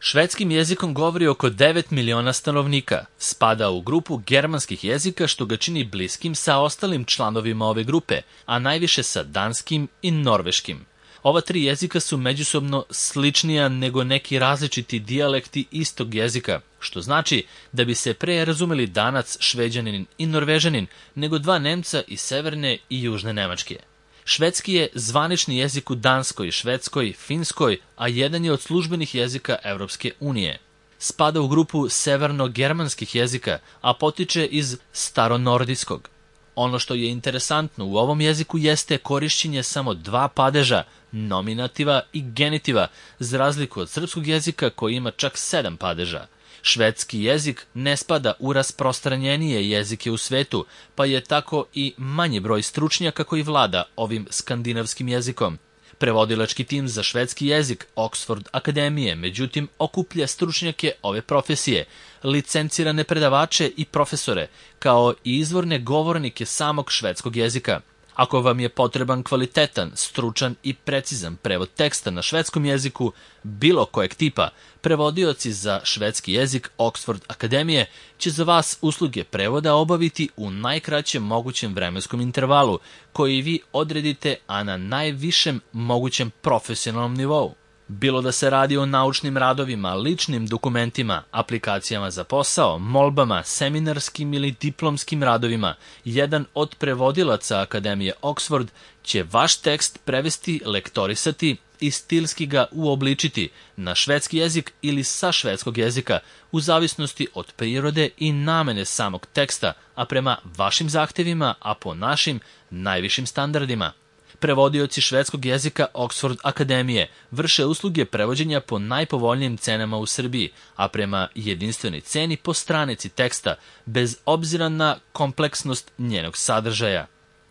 Švedskim jezikom govori oko 9 miliona stanovnika. Spada u grupu germanskih jezika, što ga čini bliskim sa ostalim članovima ove grupe, a najviše sa danskim i norveškim. Ova tri jezika su međusobno sličnija nego neki različiti dijalekti istog jezika, što znači da bi se pre razumeli Danac, Šveđanin i Norvežanin nego dva Nemca iz severne i južne Nemačke. Švedski je zvanični jezik u Danskoj, Švedskoj, Finskoj, a jedan je od službenih jezika Evropske unije. Spada u grupu severno-germanskih jezika, a potiče iz staronordijskog. Ono što je interesantno u ovom jeziku jeste korišćenje samo dva padeža, nominativa i genitiva, za razliku od srpskog jezika koji ima čak 7 padeža. Švedski jezik ne spada u rasprostranjenije jezike u svetu, pa je tako i manji broj stručnjaka koji vlada ovim skandinavskim jezikom. Prevodilački tim za švedski jezik Oxford Akademije, međutim, okuplja stručnjake ove profesije, licencirane predavače i profesore, kao i izvorne govornike samog švedskog jezika. Ako vam je potreban kvalitetan, stručan i precizan prevod teksta na švedskom jeziku bilo kojeg tipa, prevodioci za švedski jezik Oxford Akademije će za vas usluge prevoda obaviti u najkraćem mogućem vremenskom intervalu, koji vi odredite, a na najvišem mogućem profesionalnom nivou. Bilo da se radi o naučnim radovima, ličnim dokumentima, aplikacijama za posao, molbama, seminarskim ili diplomskim radovima, jedan od prevodilaca Akademije Oxford će vaš tekst prevesti, lektorisati i stilski ga uobličiti na švedski jezik ili sa švedskog jezika, u zavisnosti od prirode i namene samog teksta, a prema vašim zahtevima, a po našim najvišim standardima. Prevodioci švedskog jezika Oxford Akademije vrše usluge prevođenja po najpovoljnijim cenama u Srbiji, a prema jedinstvenoj ceni po stranici teksta, bez obzira na kompleksnost njenog sadržaja.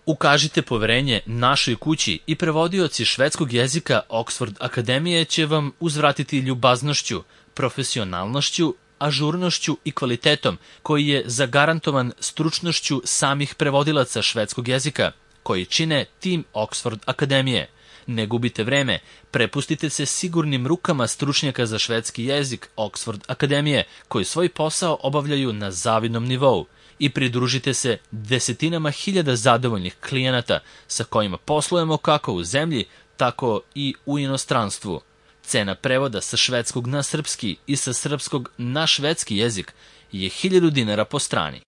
Ukažite poverenje našoj kući i prevodioci švedskog jezika Oxford Akademije će vam uzvratiti ljubaznošću, profesionalnošću, ažurnošću i kvalitetom koji je zagarantovan stručnošću samih prevodilaca švedskog jezika, koji čine tim Oxford Akademije. Ne gubite vreme, prepustite se sigurnim rukama stručnjaka za švedski jezik Oxford Akademije, koji svoj posao obavljaju na zavidnom nivou, i pridružite se desetinama hiljada zadovoljnih klijenata sa kojima poslujemo kako u zemlji, tako i u inostranstvu. Cena prevoda sa švedskog na srpski i sa srpskog na švedski jezik je 1000 dinara po strani.